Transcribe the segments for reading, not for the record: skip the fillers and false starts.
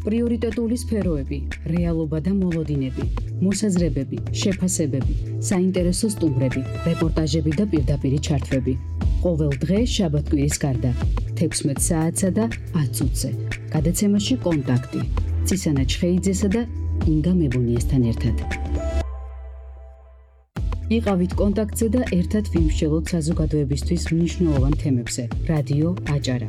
პრიორიტეტული სფეროები, რეალობა და მოლოდინები, მოსაზრებები, შეფასებები, საინტერესო სტუმრები, რეპორტაჟები და პირდაპირი ჩართვები. ყოველ დღე შაბათ-კვირის გარდა 16 საათსა და 10 წუთზე. გადაცემაში კონტაქტი. ცისანა ჩხეიძესა და ინგა მებუნიესთან ერთად. იყავით კონტაქტზე და ერთად ვიმსჯელოთ საზოგადოებისთვის მნიშვნელოვან თემებზე. რადიო აჭარა,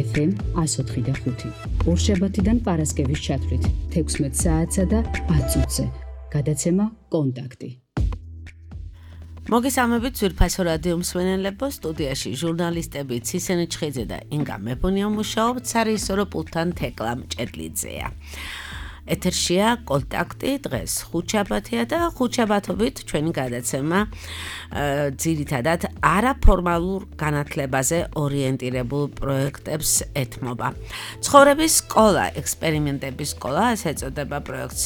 FM 104.5. ორშაბათიდან პარასკევის ჩათვლით 16 საათსა და 10 წუთზე. გადაცემა კონტაქტი. მოგესალმებით ძვირფასო რადიო მსმენელებო, სტუდიაში ჟურნალისტები ცისენე ჩხეიძე და ინგა მებუნია მუშაობთ, სარეჟისორო პულტთან თეკლა მჭედლიძეა. ეთერშია კონტაქტი, დღეს ხუთშაბათია და ხუთშაბათობით ჩვენი გადაცემა ძირითადად არაფორმალურ განათლებაზე ორიენტირებულ პროექტებს ეთმობა. ცხოვრების სკოლა, ექსპერიმენტების სკოლა, ასე ეწოდება პროექტს,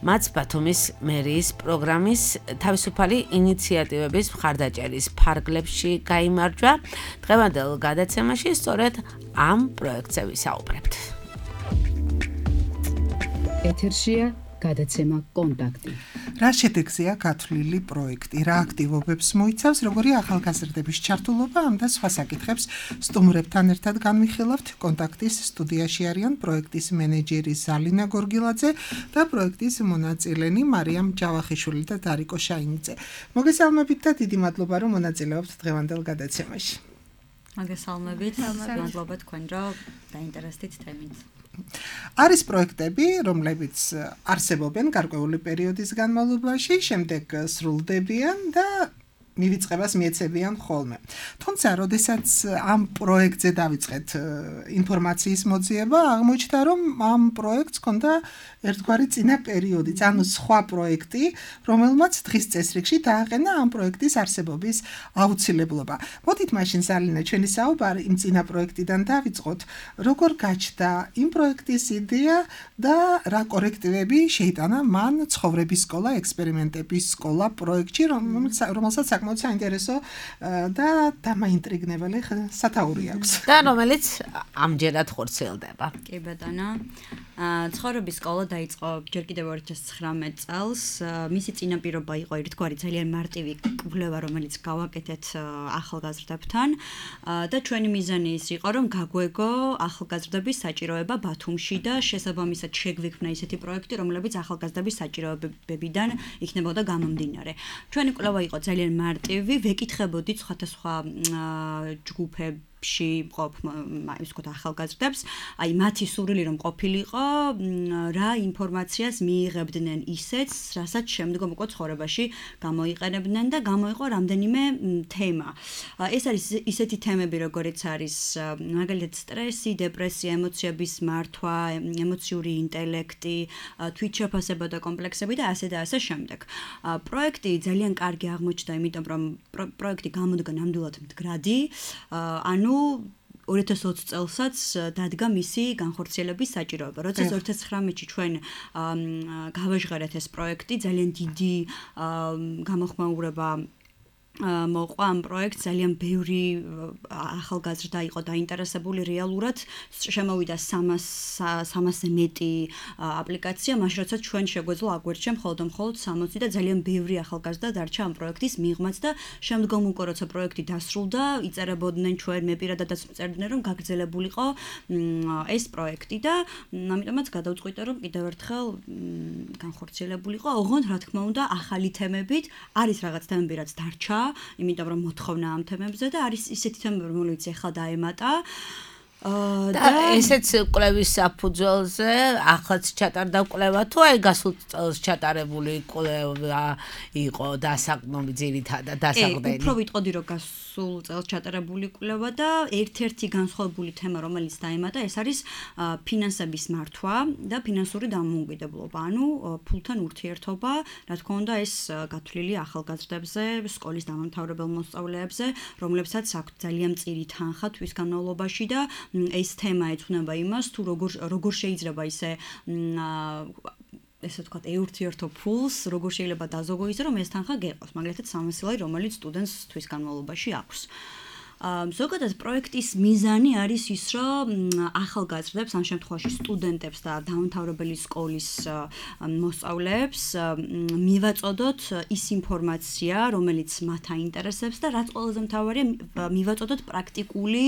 მათ ბათუმის მერიის პროგრამის თავისუფალი ინიციატივების მხარდაჭერის ფარგლებში გაიმარჯვა. დღევანდელ გადაცემაში სწორედ ამ პროექტზე ვისაუბრებთ. ეთერშია გადაცემა კონტაქტი. რა შედეგზეა გათვლილი პროექტი, რა აქტივობებს მოიცავს, როგორი ახალგაზრდების ჩართულობა ამ და სხვა საკითხებს სტუმრებთან ერთად განვიხილავთ. კონტაქტის სტუდიაში არიან პროექტის მენეჯერი ზალინა გორგილაძე და პროექტის მონაწილენი მარიამ ჯავახიშვილი და დარიკო შაინიძე. მოგესალმებით და დიდი მადლობა რომ მონაწილეობთ დღევანდელ გადაცემაში. მოგესალმებით, მადლობა თქვენ რომ დაინტერესდით თემით. არის პროექტები, რომლებიც არსებობენ გარკვეული პერიოდის განმავლობაში, შემდეგ სრულდებიან და მივიწყებას მიეცებიან ხოლმე. თუმცა, როდესაც ამ პროექტზე დავიწყეთ ინფორმაციის მოძიება, აღმოჩნდა, რომ ამ პროექტს ჰქონდა ერთგვარი წინა პერიოდიც, ანუ სხვა პროექტი, რომელმაც დღის წესრიგში დააყენა ამ პროექტის არსებობის აუცილებლობა. მოდით მაშინ ზალინა ჩვენი საუბარი იმ წინა პროექტიდან დავიწყოთ, როგორ გაჩნდა იმ პროექტის იდეა და რა კორექტივები შეიტანა მან ცხოვრების სკოლა, ექსპერიმენტების სკოლა პროექტში, რომელსაც საკმაოდ საინტერესო და დამაინტრიგნებელი სათაური აქვს. და რომელიც ამჯერად ხორციელდება. კი ბატონო. ცხოვრების სკოლა დაიწყო ჯერ კიდევ 2019 წელს. მისი წინაპირობა იყო ერთგვარი ძალიან მარტივი კვლევა, რომელიც გავაკეთეთ ახალგაზრდებთან და ჩვენი მიზანი ის იყო, რომ გაგვეგო ახალგაზრდების საჭიროება ბათუმში და შესაბამისად შეგვიქმნა ისეთი პროექტი, რომლებიც ახალგაზრდების საჭიროებებიდან იქნებოდა გამომდინარე. ჩვენი კვლევა იყო ძალიან მარტივი, ვეკითხებოდით სხვადასხვა ჯგუფებში მყოფ ის ვთქვათ ახალგაზრდებს, აი მათი სურვილი რომ ყოფილიყო, რა ინფორმაციას მიიღებდნენ ისეც, რასაც შემდგომ უკვე ცხოვრებაში გამოიყენებდნენ და გამოიყო რამდენიმე თემა. ეს არის ისეთი თემები, როგორიც არის მაგალითად სტრესი, დეპრესია, ემოციების მართვა, ემოციური ინტელექტი, თვითშეფასება და კომპლექსები და ასე და ასე შემდეგ. პროექტი ძალიან კარგი აღმოჩნდა, იმიტომ რომ პროექტი გამოდგა ნამდვილად მდგრადი, ანუ 2020 წელსაც დადგა მისი განხორციელების საჭიროება. როდესაც 2019-ში ჩვენ გავაჟღერეთ ეს პროექტი, ძალიან დიდი გამოხმაურება მოყვა ამ პროექტს, ძალიან ბევრი ახალგაზრდა იყო დაინტერესებული რეალურად, შემოვიდა 300-ზე მეტი აპლიკაცია, მაშინ როცა ჩვენ შეგვეძლო აგვერჩია მხოლოდ 60 და ძალიან ბევრი ახალგაზრდა დარჩა ამ პროექტის მიღმაც და შემდგომ უკვე როცა პროექტი დასრულდა, იწერებოდნენ ჩვენ, მე პირადადაც წერდნენ, რომ გაგრძელებულიყო ეს პროექტი და ამიტომაც გადავწყვიტე, რომ კიდევ ერთხელ განხორციელებულიყო, ოღონდ რა თქმა უნდა, ახალი თემებით, არის რაღაც თემები, რაც დარჩა, იმიტომ რომ მოთხოვნა ამ თემებზე და არის ისეთი თემები, რომელიც ახლა დაემატა. და ესეც კვლევის საფუძველზე ახლაც ჩატარდა კვლევა თუ აი გასულ წელს ჩატარებული კვლევა იყო დასაყრდნობი ძირითადად დასაყრდენი. უფრო ვიტყოდი რომ გასულ წელს ჩატარებული კვლევა და ერთ-ერთი განსხვავებული თემა რომელიც დაემატა ეს არის ფინანსების მართვა და ფინანსური დამოუკიდებლობა, ანუ ფულთან ურთიერთობა, რა თქმა უნდა ეს გათვლილი ახალგაზრდებზე, სკოლის დამამთავრებელ მოსწავლეებზე, რომლებსაც აქვთ ძალიან მწირი თანხა თვის განმავლობაში და ეს თემა ეძღვნება იმას, თუ როგორ შეიძლება ისე ესე ვთქვათ, ეურთიერთო ფულს, როგორ შეიძლება დაზოგო ისე, რომ ეს თანხა გეყოს, მაგალითად 300 ლარი, რომელიც სტუდენტს თვის განმავლობაში აქვს. ზოგადად პროექტის მიზანი არის ის, რომ ახალგაზრდებს, ამ შემთხვევაში სტუდენტებს და დაუმთავრებელი სკოლის მოსწავლეებს მივაწოდოთ ის ინფორმაცია, რომელიც მათ აინტერესებს და რაც ყველაზე მთავარია, მივაწოდოთ პრაქტიკული,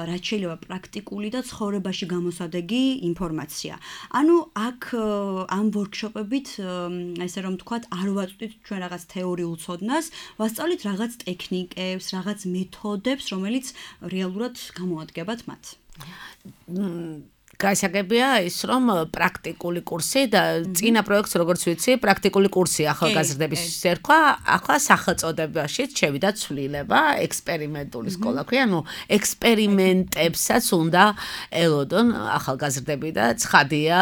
რაც შეიძლება პრაქტიკული და ცხოვრებაში გამოსადეგი ინფორმაცია. ანუ აქ ამ ვორქშოპებით, ესე რომ ვთქვათ, არ ვაწვდით ჩვენ რაღაც თეორიულ ცოდნას, ვასწავლით რაღაც ტექნიკებს, რაღაც მეთოდებს, რომელიც რეალურად გამოადგებათ მათ. გასაგებია ის რომ პრაქტიკული კურსი და წინა პროექტს როგორც ვიცი პრაქტიკული კურსი ახალგაზრდების ერქვა ახლა სახელწოდებაში შევიდა ცვლილება ექსპერიმენტული სკოლა ქვია ანუ ექსპერიმენტებსაც უნდა ელოდონ ახალგაზრდები და ცხადია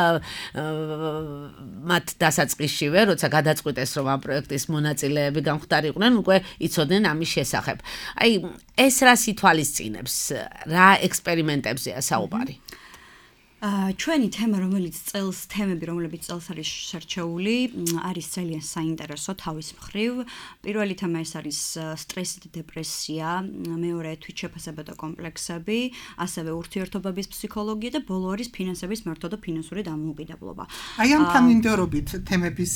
მათ დასაწყისშივე როცა გადაწყვიტეს რომ ამ პროექტის მონაწილეები გამხდარიყვნენ უკვე იცოდნენ ამის შესახებ აი ეს რას ითვალისწინებს რა ექსპერიმენტებზეა საუბარი ჩვენი თემა, რომელიც თემები, რომლებიც წელს არის შერჩეული, არის ძალიან საინტერესო თავის მხრივ. პირველი თემა ეს არის სტრესი და დეპრესია, მეორე თვითშეფასება და კომპლექსები, ასევე ურთიერთობების ფსიქოლოგია და ბოლო არის ფინანსების მართვა და ფინანსური დამოუკიდებლობა. აი ამ თანმიმდევრობით თემების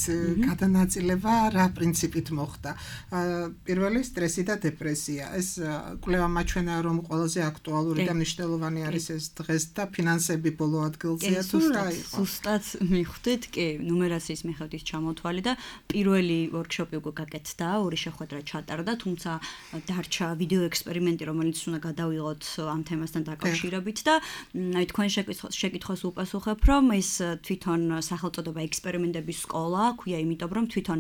გადანაწილება რა პრინციპით მოხდა? პირველი სტრესი და დეპრესია. ეს კვლევა მაჩვენა რომ ყველაზე აქტუალური და მნიშვნელოვანი არის ეს დღეს და ფინანსები ადგილზეა თუ რა იყო? ზუსტად მიხვდით, კი, ნუმერაციის მიხედვით ჩამოთვალე და პირველი ვორქშოპი უკვე გაკეთდა, ორი შეხვედრა ჩატარდა, თუმცა დარჩა ვიდეო ექსპერიმენტი, რომელიც უნდა გადავიღოთ ამ თემასთან დაკავშირებით და აი თქვენ შეკითხვას უპასუხებ, რომ ეს თვითონ სახელწოდება ექსპერიმენტების სკოლა, ქვია იმიტომ, რომ თვითონ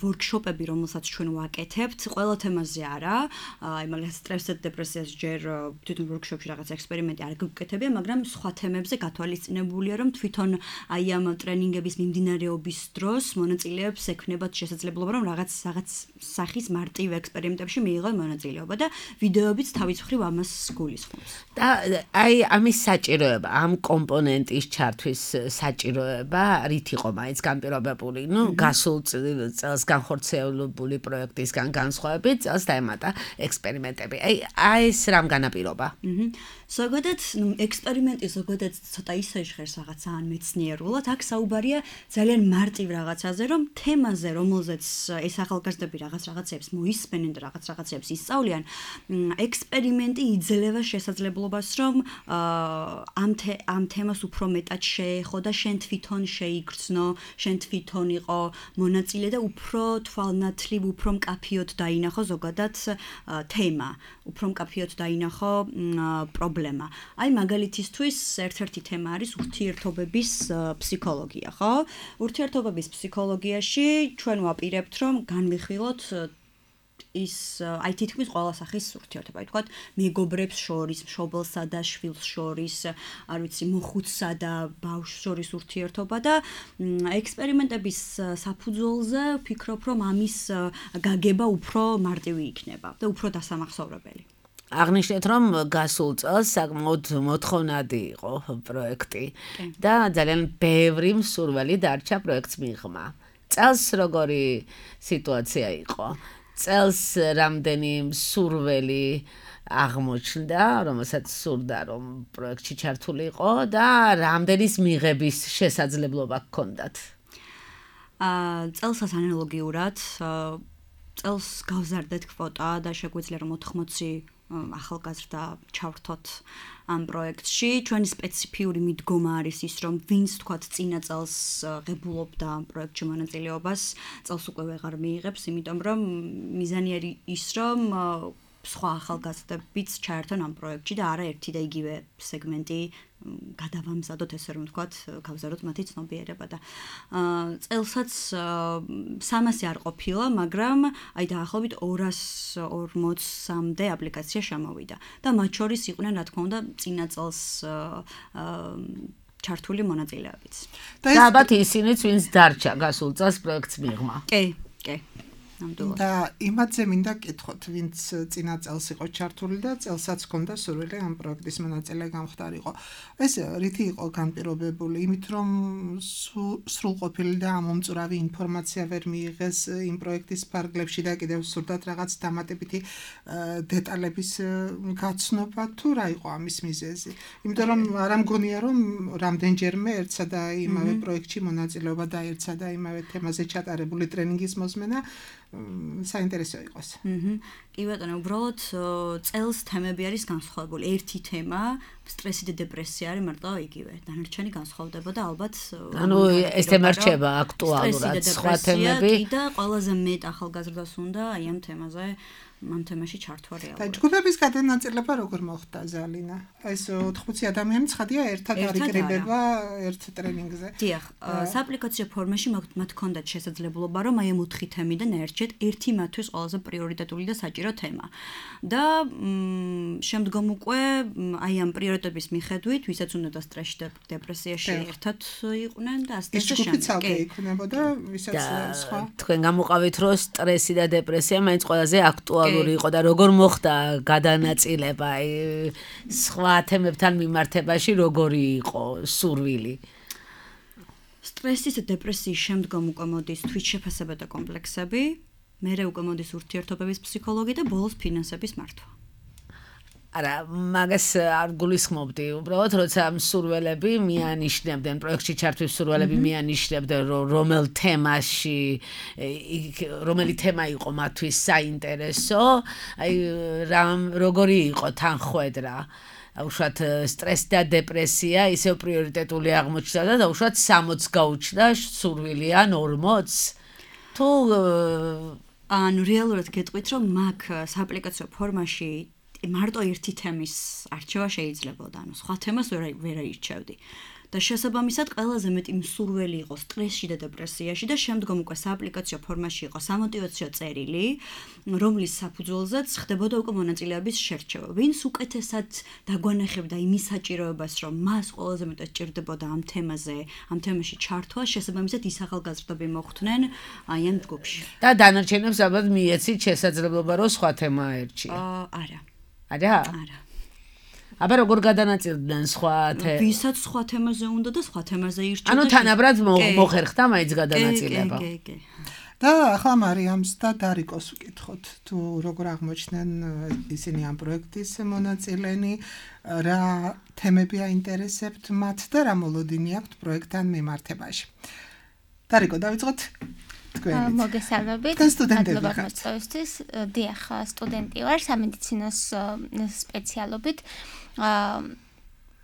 ვორქშოპები, რომელსაც ჩვენ ვაკეთებთ, ყველა თემაზე არა, აი მაგალითად სტრესს და დეპრესიას ჯერ თვითონ ვორქშოპში რაღაც ექსპერიმენტი არ გკეთებია, მაგრამ სხვა თემებზე გათვალისწინებულია რომ თვითონ აი ამ ტრენინგების მიმდინარეობის დროს მონაწილეებს ექნებათ შესაძლებლობა რომ რაღაც სახის მარტივ ექსპერიმენტებში მიიღონ მონაწილეობა და ვიდეოებიც თავის მხრივ ამას გულისხმობს. და აი ამის საჭიროება, ამ კომპონენტის ჩართვის საჭიროება რით იყო მაინც განპირობებული? ნუ გასულ წელს განხორციელებული პროექტისგან განსხვავებით წელს დაემატა ექსპერიმენტები. აი ეს რამ განაპირობა? ზოგადად ექსპერიმენტი ზოგადად ცოტა ისე ჟღერს რაღაც ან მეცნიერულად, აქ საუბარია ძალიან მარტივ რაღაცაზე, რომ თემაზე, რომელზეც ეს ახალგაზრდები რაღაცებს მოისმენენ და რაღაცებს ისწავლიან, ექსპერიმენტი იძლევა შესაძლებლობას, რომ ამ თემას უფრო მეტად შეეხო და შენ თვითონ შეიგრძნო, შენ თვითონ იყო მონაწილე და უფრო თვალნათლივ, უფრო მკაფიოდ დაინახო ზოგადად თემა, უფრო მკაფიოდ დაინახო პრობლემა. აი მაგალითისთვის ერთ-ერთი თემა არის ურთიერთობების ფსიქოლოგია, ხო? ურთიერთობების ფსიქოლოგიაში ჩვენ ვაპირებთ, რომ განვიხილოთ ის აი თითქმის ყველა სახის ურთიერთობა, თქვათ, მეგობრებს შორის, მშობელსა და შვილს შორის, არ ვიცი, მოხუცსა და ბავშვს შორის ურთიერთობა და ექსპერიმენტების საფუძველზე ვფიქრობ, რომ ამის გაგება უფრო მარტივი იქნება და უფრო დასამახსოვრებელი. აღნიშნეთ რომ გასულ წელს საკმაოდ მოთხოვნადი იყო პროექტი და ძალიან ბევრი მსურველი დარჩა პროექტს მიღმა. წელს როგორი სიტუაცია იყო? წელს რამდენი მსურველი აღმოჩნდა, რომელსაც სურდა რომ პროექტში ჩართულიყო და რამდენის მიღების შესაძლებლობა გქონდათ? წელსაც ანალოგიურად წელს გავზარდეთ კვოტა და შეგვიძლია რომ 80 ახალგაზრდა ჩავრთოთ ამ პროექტში. ჩვენი სპეციფიური მიდგომა არის ის, რომ ვინც თქვათ წინა წელს ღებულობდა ამ პროექტში მონაწილეობას, წელს უკვე ვეღარ მიიღებს, იმიტომ რომ მიზანი არის ის, რომ სხვა ახალგაზრდებიც ჩაერთონ ამ პროექტში და არა ერთი და იგივე სეგმენტი გადავამზადოთ, ესე რომ ვთქვათ, გავზარდოთ მათი ცნობიერება და წელსაც 300 არ ყოფილა, მაგრამ აი დაახლოებით 240-მდე აპლიკაცია შემოვიდა და მათ შორის იყვნენ, რა თქმა უნდა, წინა წელს ჩართული მონაწილეებიც. და ალბათ ისინიც, ვინც დარჩა გასულ წელს პროექტს მიღმა. კი. ნამდვილად. და იმათზე მინდა გკითხოთ, ვინც წინა წელს იყო ჩართული და წელსაც ჰქონდა სურვილი ამ პროექტის მონაწილე გამხდარიყო. ეს რითი იყო განპირობებული? იმით რომ სრულყოფილი და ამომწურავი ინფორმაცია ვერ მიიღეს იმ პროექტის ფარგლებში და კიდევ სურდათ რაღაც დამატებითი დეტალების გაცნობა თუ რა იყო ამის მიზეზი? იმიტომ რომ არ მგონია რომ რამდენჯერმე ერთსა და იმავე პროექტში მონაწილეობა და ერთსა და იმავე თემაზე ჩატარებული ტრენინგის მოსმენა საინტერესო იყოს. კი ბატონო, უბრალოდ წელს თემები არის განსხვავებული. ერთი თემა სტრესი და დეპრესია არის მარტო იგივე. დანარჩენი განსხვავდება და ალბათ ანუ ეს თემა რჩება აქტუალურად, სხვა თემები და ყველაზე მეტ ახალგაზრდას უნდა აი ამ თემაზე ამ თემაში ჩართვა რეალურად. და ჯგუფების გადანაწილება როგორ მოხდა ზალინა? ეს 80 ადამიანი ცხადია ერთად არიკრიბება ერთ ტრენინგზე. დიახ, სააპლიკაციო ფორმაში მათ ჰქონდათ შესაძლებლობა რომ აი ამ 4 თემიდან ერთჯერ ერთი მათთვის ყველაზე პრიორიტეტული და საჭირო თემა. და შემდგომ უკვე აი ამ პრიორიტეტების მიხედვით, ვისაც უნდა სტრესში და დეპრესიაში ერთად იყვნენ და ასე ეს ჯგუფი ცალკე იქნებოდა, ვისაც სხვა. თქვენ გამოყავით რომ სტრესი და დეპრესია მაინც ყველაზე აქტუალური იყო და როგორ მოხდა გადანაწილება სხვა თემებთან მიმართებაში როგორი იყო სურვილი? სტრესის და დეპრესიის შემდგომ უკვე მოდის თვითშეფასება და კომპლექსები, მერე უკვე მოდის ურთიერთობების ფსიქოლოგი და ბოლოს ფინანსების მართვა. არა, მაგას არ გულისხმობდი. უბრალოდ როცა მსურველები მიანიშნებდნენ, პროექტში ჩართვის მსურველები მიანიშნებდნენ, რომელ თემაში, რომელი თემა იყო მათთვის საინტერესო, აი როგორი იყო თანხwebdriver. უშუალოდ სტრესი და დეპრესია ისევ პრიორიტეტული აღმოჩნდა და უშუალოდ 60 გაუჩნდა სურვილი ან 40? თუ ანუ რეალურად გეტყვით რომ მაგ სააპლიკაციო ფორმაში მარტო ერთი თემის არჩევა შეიძლებოდა, ანუ სხვა თემას ვერ აირჩევდი. და შესაბამისად ყველაზე მეტი მსურველი იყო სტრესში და დეპრესიაში და შემდგომ უკვე სააპლიკაციო ფორმაში იყო სამოტივაციო წერილი, რომლის საფუძველზეც ხდებოდა უკვე მონაწილეების შერჩევა. ვინც უკეთესად დაგვანახებდა იმის საჭიროებას, რომ მას ყველაზე მეტად ჭირდებოდა ამ თემაზე, ამ თემაში ჩართვა, შესაბამისად ის ახალგაზრდები მოხვდნენ აი ამ ჯგუფში. და დანარჩენებს ალბათ მიეცით შესაძლებლობა რომ სხვა თემა აერჩია. არა. არა? არა. აბა როგორ გადანაწილდნენ სხვა ვისაც სხვა თემაზე უნდა და სხვა თემაზე ირჩევდა. ანუ თანაბრად მოხერხდა მაინც გადანაწილება. კი. და ახლა მარიამს და დარიკოს ვკითხოთ, თუ როგორ აღმოჩნდნენ ისინი ამ პროექტის მონაწილენი, რა თემები აინტერესებთ მათ და რა მოლოდინი აქვთ პროექტთან მიმართებაში. დარიკო, დავიწყოთ მოგესალმებით. მადლობა მოწვევისთვის. დიახ, სტუდენტი ვარ სამედიცინოს სპეციალობით.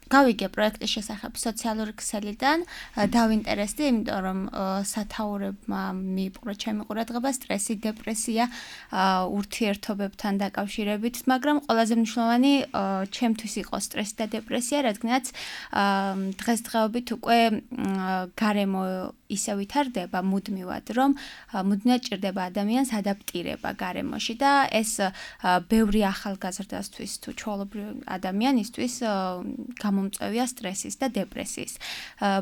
გავიგე პროექტის შესახებ სოციალური ქსელიდან, დავინტერესდი, იმიტომ რომ სათაურებმა მიიპყრო ჩემი ყურადღება სტრესი, დეპრესია ურთიერთობებთან დაკავშირებით, მაგრამ ყველაზე მნიშვნელოვანი ჩემთვის იყო სტრესი და დეპრესია, რადგანაც დღესდღეობით უკვე გარემო ისე ვითარდება მუდმივად, რომ მუდმივად ჭირდება ადამიანს ადაპტირება გარემოში და ეს ბევრი ახალგაზრდასთვის თუ ჩვეულებრივ ადამიანისთვის გამომწვევია სტრესის და დეპრესიის.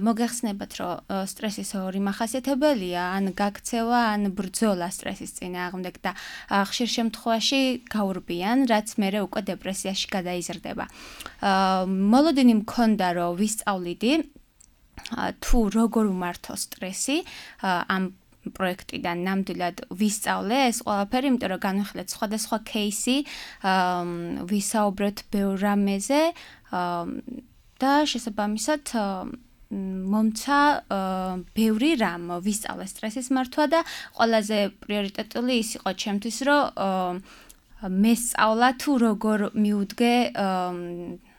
მოგეხსნებათ, რომ სტრესის ორი მახასიათებელია, ან გაქცევა, ან ბრძოლა სტრესის წინააღმდეგ და ხშირ შემთხვევაში გაურბიან, რაც მერე უკვე დეპრესიაში გადაიზრდება. მოლოდინი მქონდა, რომ ვისწავლიდი თუ როგორ უმართო სტრესი ამ პროექტიდან ნამდვილად ვისწავლე ეს ყველაფერი, იმიტომ რომ განვიხილეთ სხვადასხვა кейსი, ვისაუბრეთ ბევრ რამეზე და შესაბამისად მომცა ბევრი რამ ვისწავლე სტრესის მართვა და ყველაზე პრიორიტეტული ის იყო ჩემთვის, რომ მესწავლა თუ როგორ მიუდგე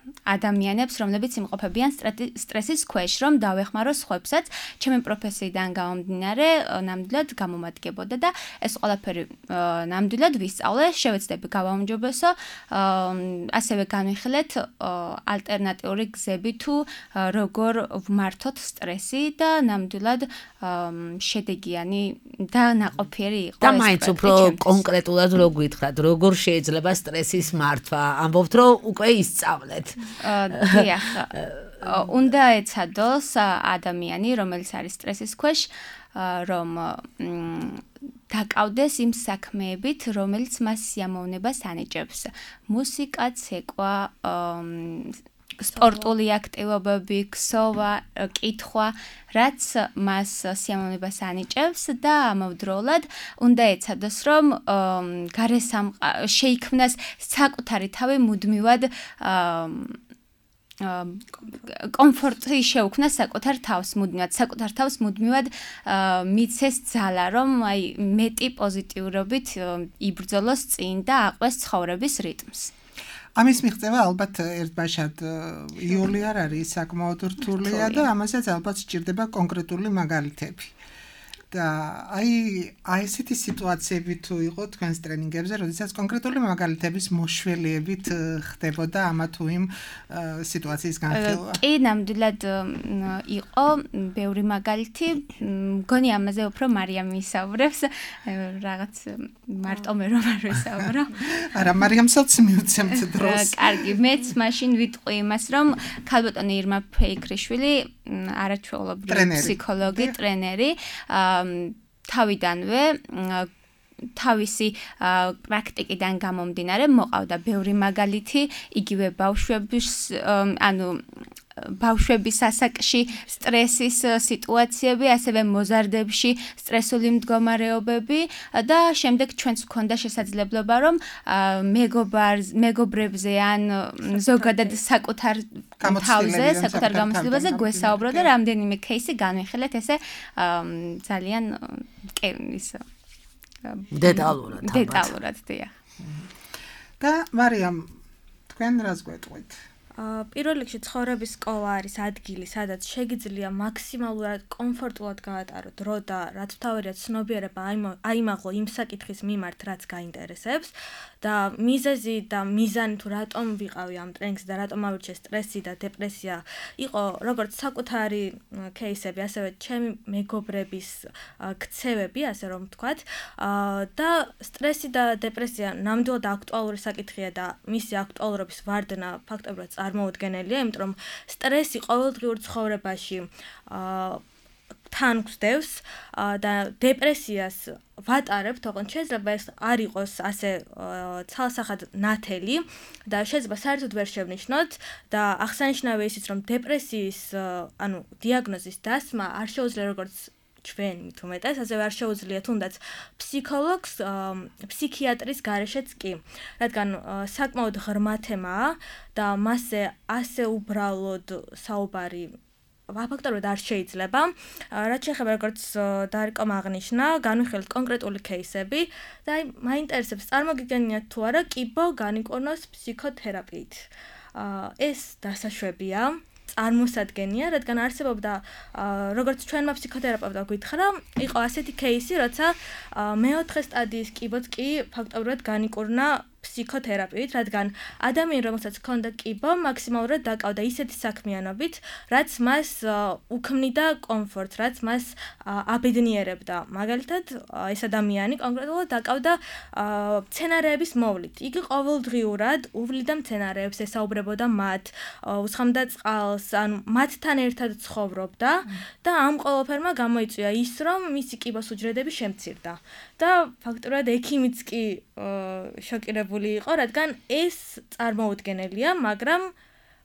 ადამიანებს, რომლებიც იმყოფებიან სტრესის ქვეშ, რომ დავეხმარო სხვებსაც, ჩემი პროფესიიდან გამომდინარე, ნამდვილად გამომადგებოდა და ეს ყველაფერი ნამდვილად ვისწავლე, შევეცდები გავაუმჯობესო, ასევე განვიხილეთ ალტერნატიული გზები თუ როგორ ვმართოთ სტრესი და ნამდვილად შედეგიანი და ნაყოფიერი იყო ეს. და მაინც უფრო კონკრეტულად რო გითხრათ, როგორ შეიძლება სტრესის მართვა? ამბობთ, რომ უკვე ისწავლეთ. დიახ, უნდა ეცადოს ადამიანი, რომელიც არის სტრესის ქვეშ, რომ დაკავდეს იმ საქმეებით, რომელიც მას სიამოვნებას ანიჭებს. მუსიკა, ცეკვა, სპორტული აქტივობები, ქსოვა, კითხვა, რაც მას სიამოვნებას ანიჭებს და ამავდროულად უნდა ეცადოს, რომ შეიქმნას საკუთარი თავი მუდმივად კომფორტი შეუქმნას საკუთარ თავს მუდმივად მიცეს ძალა, რომ აი მეტი პოზიტიურობით იბრძოლოს წინ და აყვეს ცხოვრების რიტმს. ამის მიღწევა ალბათ ერთბაშად იოლი არ არის საკმაოდ რთულია და ამასაც ალბათ სჭირდება კონკრეტული მაგალითები. და აი ესეთი სიტუაციები თუ იყო თქვენს ტრენინგებზე, როდესაც კონკრეტული მაგალითების მოშველიებით ხდებოდა ამა თუ იმ სიტუაციის განხილვა. კი, ნამდვილად იყო ბევრი მაგალითი. მგონი ამაზე უფრო მარიამი ისაუბრებს, რაღაც მარტო მე რომ არ ვისაუბრო. არა, მარიამსაც მივცემთ დროს. კარგი, მეც მაშინ ვიტყვი იმას, რომ ქალბატონი ირმა ფეიქრიშვილი არაჩვეულებრივი ფსიქოლოგი, ტრენერი, თავიდანვე თავისი პრაქტიკიდან გამომდინარე მოყავდა ბევრი მაგალითი იგივე ბავშვების ასაკში სტრესის სიტუაციები, ასევე მოზარდებში სტრესული მდგომარეობები და შემდეგ ჩვენც გვქონდა შესაძლებლობა რომ მეგობრებზე ან ზოგადად საკუთარ თავზე, საკუთარ გამოცდილებაზე გვესაუბრო და რამდენიმე кейსი განვიხილეთ ესე ძალიან ის დეტალურად დიახ. და მარიამ, თქვენ რას გვეტყვით? პირველ რიგში ცხოვრების სკოლა არის ადგილი, სადაც შეგიძლია მაქსიმალურად კომფორტულად გაატაროთ დრო და რაც თავარია ცნობიერება აიმაღლო იმ საკითხის მიმართ, რაც გაინტერესებს და მიზეზი და მიზანი თუ რატომ ვიყავი ამ ტრენინგზე და რატომ ავირჩიე სტრესი და დეპრესია იყო როგორც საკუთარი кейსები, ასევე ჩემი მეგობრების ქცევები, ასე რომ ვთქვათ, და სტრესი და დეპრესია ნამდვილად აქტუალური საკითხია და მისი აქტუალურობის ვარდნა ფაქტობრივად წარმოუდგენელია, იმიტომ რომ სტრესი ყოველდღიურ ცხოვრებაში თან გვსდევს და დეპრესიას ვატარებთ, თორემ შეიძლება ეს არ იყოს ასე ცალსახად ნათელი და შეიძლება საერთოდ ვერ შევნიშნოთ და აღსანიშნავია ისიც, რომ დეპრესიის, დიაგნოზის დასმა არ შეუძლია როგორც ჩვენ მით უმეტეს, ასევე არ შეუძლია თუნდაც ფსიქოლოგს, ფსიქიატრის გარეშეც კი, რადგან საკმაოდ ღრმა თემაა და მასზე ასე უბრალოდ საუბარი ფაქტობრივად არ შეიძლება. რაც შეეხება როგორც დარიკომ აღნიშნა, განვიხილეთ კონკრეტული кейსები და აი მაინტერესებს წარმოგიდგენიათ თუ არა კიბო განიკონოს ფსიქოთერაპიით. ეს დასაშვებია, წარმოსადგენია, რადგან არსებობდა როგორც ჩვენმა ფსიქოთერაპევტმა გითხრა, იყო ასეთი кейსი, როცა მეოთხე სტადიის კიბოც კი ფაქტობრივად განიკურნა ფსიქოთერაპიით, რადგან ადამიანი, რომელსაც ჰქონდა კიბო, მაქსიმალურად დაკავდა ისეთი საქმიანობით, რაც მას უქმნიდა კომფორტს, რაც მას აბედნიერებდა. მაგალითად, ეს ადამიანი კონკრეტულად დაკავდა მცენარეების მოვლით. იგი ყოველდღიურად უვლიდა მცენარეებს, ესაუბრებოდა მათ, უსხამდა წყალს, ანუ მათთან ერთად ცხოვრობდა და ამ ყველაფერმა გამოიწვია ის, რომ მისი კიბოს უჯრედები შემცირდა. და ფაქტობრივად ექიმიც კი შოკირებული იყო, რადგან ეს წარმოუდგენელია, მაგრამ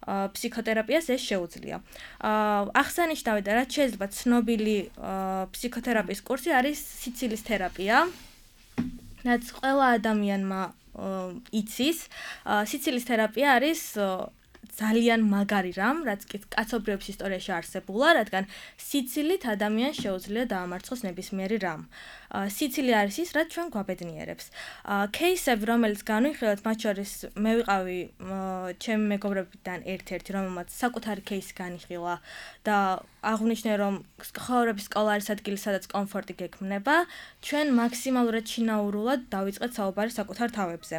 ფსიქოთერაპიას ეს შეუძლია. აღსანიშნავია და რაც შეიძლება ცნობილი ფსიქოთერაპიის კურსი არის სიცილის თერაპია, რაც ყველა ადამიანმა იცის. სიცილის თერაპია არის ძალიან მაგარი რამ, რაც კი კაცობრიობის ისტორიაში არსებულა, რადგან სიცილით ადამიანს შეუძლია დაამარცხოს ნებისმიერი რამ. სიცილი არის ის, რაც ჩვენ გვაბედნიერებს. кейსები, რომელიც განვიხილეთ, მათ შორის მე ვიყავი ჩემი მეგობრებიდან ერთ-ერთი, რომელმაც საკუთარი кейსი განიხილა და აღვნიშნე, რომ ცხოვრების სკოლა არის ადგილი, სადაც კომფორტი გექმნება, ჩვენ მაქსიმალურად შინაურულად დავიწყეთ საუბარი საკუთარ თავებზე.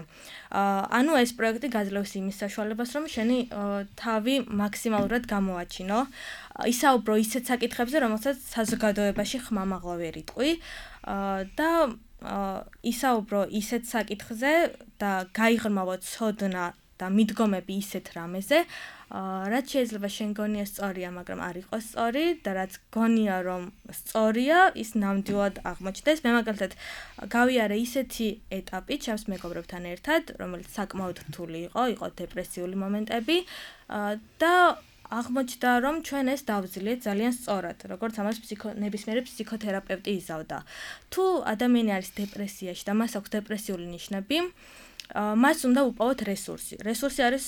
ანუ ეს პროექტი გაძლევს იმის საშუალებას, რომ შენი თავი მაქსიმალურად გამოაჩინო. ისაუბრო ისეთ საკითხებზე, რომელსაც საზოგადოებაში ხმამაღლა ვერ იტყვი და ისაუბრო ისეთ საკითხზე და გაიღრმავო ცოდნა და მიდგომები ისეთ რამეზე, რაც შეიძლება შენ გონია სწორია, მაგრამ არ იყოს სწორი და რაც გონია რომ სწორია, ის ნამდვილად აღმოჩნდეს. მე მაგალითად გავიარე ისეთი ეტაპი ჩემს მეგობრებთან ერთად, რომელიც საკმაოდ რთული იყო დეპრესიული მომენტები და აღმოჩნდა რომ ჩვენ ეს დავძლიეთ ძალიან სწორად, როგორც ამას ნებისმიერი ფსიქოთერაპევტი იზავდა. თუ ადამიანი არის დეპრესიაში და მას აქვს დეპრესიული ნიშნები, მას უნდა უპოვოთ რესურსი. რესურსი არის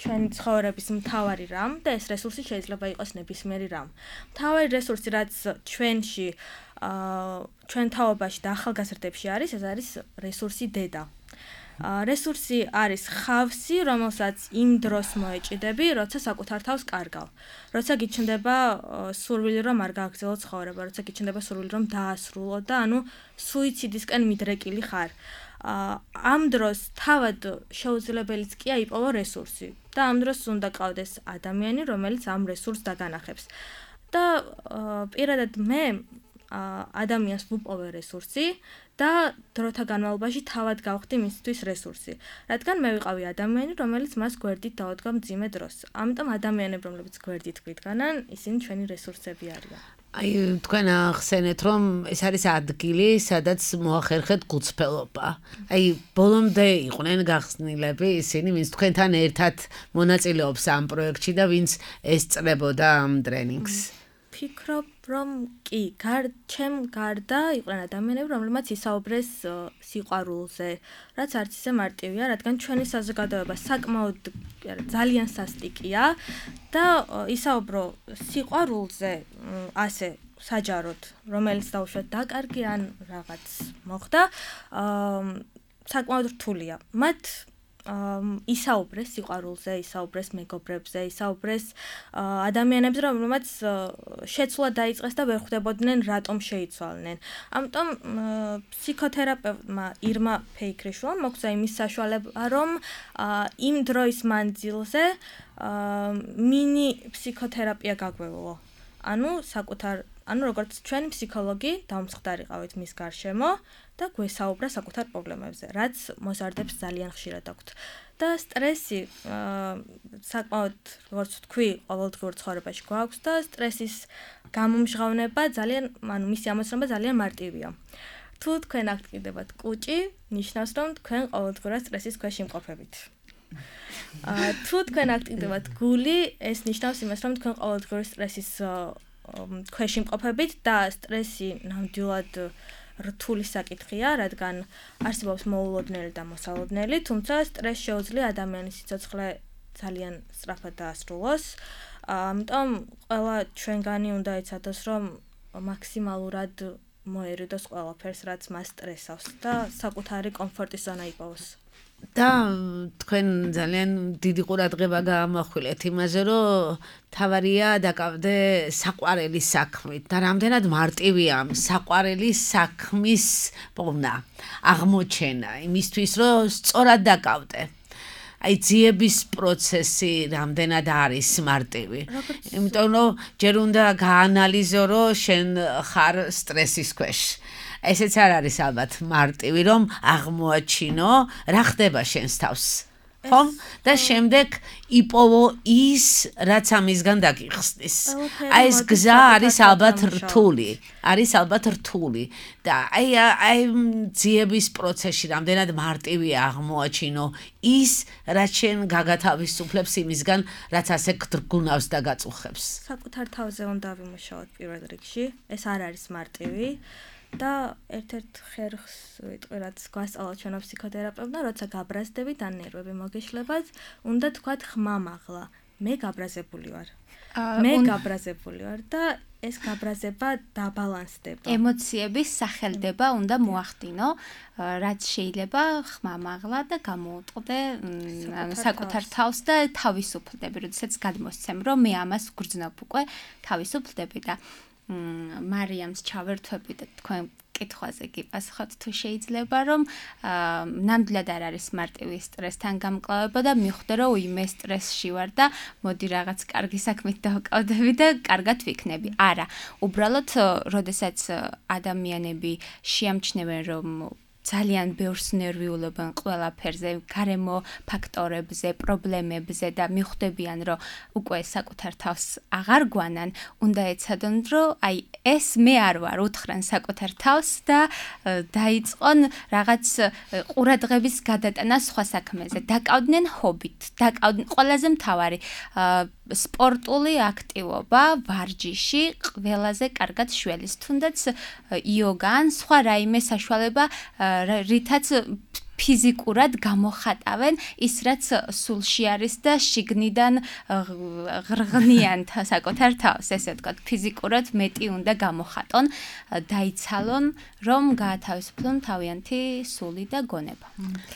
ჩვენი ცხოვრების მთავარი რამ და ეს რესურსი შეიძლება იყოს ნებისმიერი რამ. მთავარი რესურსი, რაც ჩვენში, ჩვენ თაობაში და ახალგაზრდებში არის, ეს არის რესურსი დედა. რესურსი არის ხავსი, რომელსაც იმ დროს მოეჭიდები, როცა საკუთარ თავს კარგავ. როცა გიჩნდება სურვილი რომ არ გააგრძელო ცხოვრება, როცა გიჩნდება სურვილი რომ დაასრულო და ანუ სუიციდისკენ მიდრეკილი ხარ. ამ დროს თავად შეუძლებელიც კი აიპოვო რესურსი და ამ დროს უნდა ყავდეს ადამიანი, რომელიც ამ რესურსს დაგანახებს. და პირადად მე ადამიანს ვუპოვე რესურსი და დროთა განმავლობაში თავად გავხდი მისთვის რესურსი. რადგან მე ვიყავი ადამიანი, რომელიც მას გვერდით დაუდგა მძიმე დროს. ამიტომ ადამიანები, რომლებიც გვერდით გვიდგანან, ისინი ჩვენი რესურსები არიან. თქვენ ახსენეთ, რომ ეს არის ადგილი, სადაც მოახერხეთ გულწრფელობა. ბოლომდე იყვნენ გახსნილები ისინი, ვინც თქვენთან ერთად მონაწილეობს ამ პროექტში და ვინც ესწრებოდა ამ ტრენინგს. ფიქრობ, რომ კი, ჩემ გარდა იყვნენ ადამიანები, რომლებმაც ისაუბრეს სიყვარულზე, რაც არც ისე მარტივია, რადგან ჩვენი საზოგადოება საკმაოდ ძალიან სასტიკია და ისაუბრო სიყვარულზე ასე საჯაროდ, რომელიც დაუშვათ დაკარგი ან რაღაც მოხდა, საკმაოდ რთულია. მათ ისაუბრეს სიყვარულზე, ისაუბრეს მეგობრებზე, ისაუბრეს ადამიანებზე, რომლებმაც შეცვლა დაიწყეს და ვერ ხვდებოდნენ რატომ შეიცვალნენ. ამიტომ ფსიქოთერაპევტმა ირმა ფეიქრიშვილმა მოგცა იმის საშუალება, რომ იმ დროის მანძილზე მინი ფსიქოთერაპია გაგვევლო. ანუ როგორც ჩვენ ფსიქოლოგი დავმსხდარიყავით მის გარშემო და გვესაუბრა საკუთარ პრობლემებზე, რაც მოზარდებს ძალიან ხშირად აქვთ. და სტრესი საკმაოდ, როგორც თქვი, ყოველდღიურ ცხოვრებაში გვაქვს და სტრესის გამომჟღავნება მისი ამოცნობა ძალიან მარტივია. თუ თქვენ აქ ტკიდებათ კუჭი, ნიშნავს, რომ თქვენ ყოველდღურად სტრესის ქვეშ იმყოფებით. თუ თქვენ აქ ტკიდებათ გული, ეს ნიშნავს იმას, რომ თქვენ ყოველდღიური სტრესის ქვეშ იმყოფებით და სტრესი ნამდვილად რთული საკითხია, რადგან არსებობს მოულოდნელი და მოსალოდნელი, თუმცა სტრესს შეუძლია ადამიანის სიცოცხლე ძალიან სწრაფად დაასრულოს. ამიტომ ყველა ჩვენგანი უნდა იცოდოს, რომ მაქსიმალურად მოერიდოს ყველაფერს, რაც მას სტრესავს და საკუთარი კომფორტის ზონა იპოვოს. და თქვენ ძალიან დიდი ყურადღება გაამახვილეთ იმაზე, რომ თავარია დაკავდე საყვარელის საქმით და რამდენად მარტივია საყვარელის საქმის პოვნა, აღმოჩენა, იმისთვის, რომ სწორად დაკავდე. ძიების პროცესი რამდენად არის მარტივი. იმიტომ რომ ჯერ უნდა გაანალიზო, რომ შენ ხარ სტრესის ქვეშ. ესეც არ არის ალბათ მარტივი, რომ აღმოაჩინო, რა ხდება შენს თავს. ხომ? და შემდეგ იპოვო ის, რაც ამისგან დაგიხსნის. ეს გზა არის ალბათ რთული. და ძიების პროცესში რამდენად მარტივია აღმოაჩინო ის, რაც შენ გაგათავისუფლებს იმისგან, რაც ასე გდრგუნავს და გაწუხებს. საკუთარ თავზე უნდა ვიმუშაოთ პირველ რიგში. ეს არ არის მარტივი. და ერთ-ერთ ხერხს ვიტყვი, რაც გვასწავლა ჩვენო ფსიქოთერაპევტმა, როცა გაბრაზდებით ან ნერვები მოგეშლებათ, უნდა თქვათ ხმამაღლა. მე გაბრაზებული ვარ და ეს გაბრაზება დაბალანსდება. ემოციების სახელდება უნდა მოახდინო, რაც შეიძლება ხმამაღლა და გამოუტყდე საკუთარ თავს და თავისუფლდები, როდესაც გადმოსცემ, რომ მე ამას გრძნობ უკვე, თავისუფლდები და მარიამს ჩავერთვები და თქვენ კითხვაზე გიპასუხოთ, თუ შეიძლება, რომ ნამდვილად არ არის მარტივი სტრესთან გამკლავება და მიხვდე, რომ უიმე სტრესში ვარ და მოდი რაღაც კარგი საქმით დავკავდები და კარგად ვიქნები. არა, უბრალოდ, როდესაც ადამიანები შეამჩნევენ, რომ ძალიან ბევრს ნერვიულებენ ყველაფერზე, გარემო ფაქტორებზე, პრობლემებზე და მიხვდებიან, რომ უკვე საკუთარ თავს აღარ გვანან, უნდა ეცადონ, რომ აი ეს მე არ ვარ, უთხრან საკუთარ თავს და დაიწყონ რაღაც ყურადღების გადატანა სხვა საქმეზე. დაკავდნენ ჰობით, დაკავდნენ ყველაზე მთავარი სპორტული აქტივობა, ვარჯიში ყველაზე კარგად შველის, თუნდაც იოგა ან სხვა რაიმე საშუალება, რითაც ფიზიკურად გამოხატავენ ის რაც სულში არის და შიგნიდან ღრღნიან საკუთარ თავს, ესე ვთქვათ, ფიზიკურად მეტი უნდა გამოხატონ, დაიცალონ, რომ გაათავისუფლონ თავიანთი სული და გონება.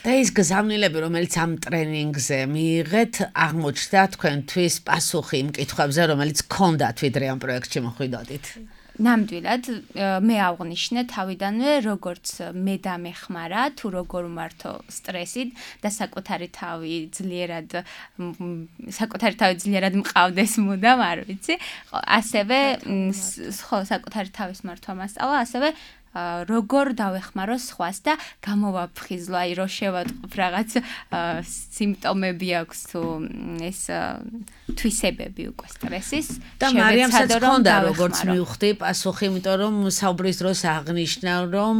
და ის გზავნილები, რომელიც ამ ტრენინგზე მიიღეთ, აღმოჩნდა თქვენთვის პასუხი იმ კითხვებზე, რომელიც გქონდათ ვიდრე ამ პროექტში მოხვიდოდით. ნამდვილად მე ავღნიშნე თავიდანვე როგორც მე დამეხმარა თუ როგორ ვმართო სტრესით და საკუთარი თავიძლიერად მყავდეს მუდამ არ ვიცი ასევე ხო საკუთარი თავის მართვა მასწავლა ასევე როგორ დავეხმარო სხვას და გამოვაფხიზლო აი რო შევატყობ რაღაც სიმპტომები აქვს თუ ეს თვისებები უკვე სტრესის და მარიამსაც ჰქონდა როგორც მივხვდი პასუხი, იმიტომ რომ საუბრის დროს აღნიშნა რომ